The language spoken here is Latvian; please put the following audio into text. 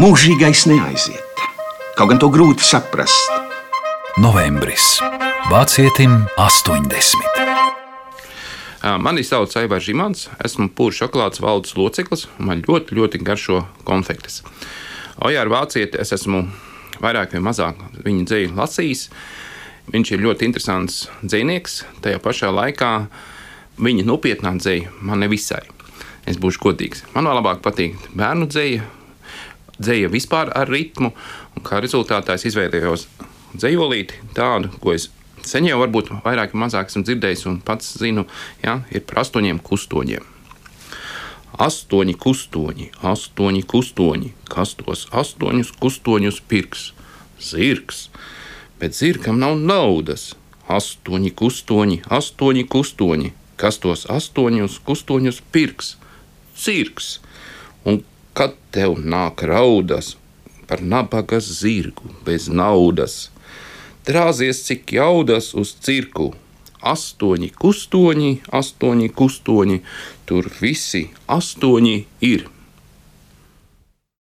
Mūžīgais neaiziet. Kaut gan to grūti saprast. Novembris. Vācietim 80. Mani sauc Aivars Žimans, esmu Pūru šokolādes valdes loceklis un man ļoti, ļoti garšo konfektes. Ojāru Vācieti es esmu vairāk vai mazāk viņa dzeju lasījis. Viņš ir ļoti interesants dzejnieks, tajā pašā laikā viņa nopietnā dzeja man nevisai. Es būšu godīgs. Man vēl labāk patīk bērnu dzeja, dzeja vispār ar ritmu, un kā rezultātā es izveidojos dzejolīti tādu, ko es sen jau varbūt vairāk vai mazāk esmu dzirdējis un pats zinu, ir par 8 kustoņiem. 8 kustoņi, 8 kustoņi, kas tos 8 kustoņus pirks? Zirgs, bet zirgam nav naudas. 8 kustoņi, 8 kustoņi, kas tos 8 kustoņus pirks? Cirks, un kad tev nāk raudas par nabaga zirgu bez naudas, drāzies cik jaudas uz cirku. 8 kustoņi, 8 kustoņi, tur visi 8 ir.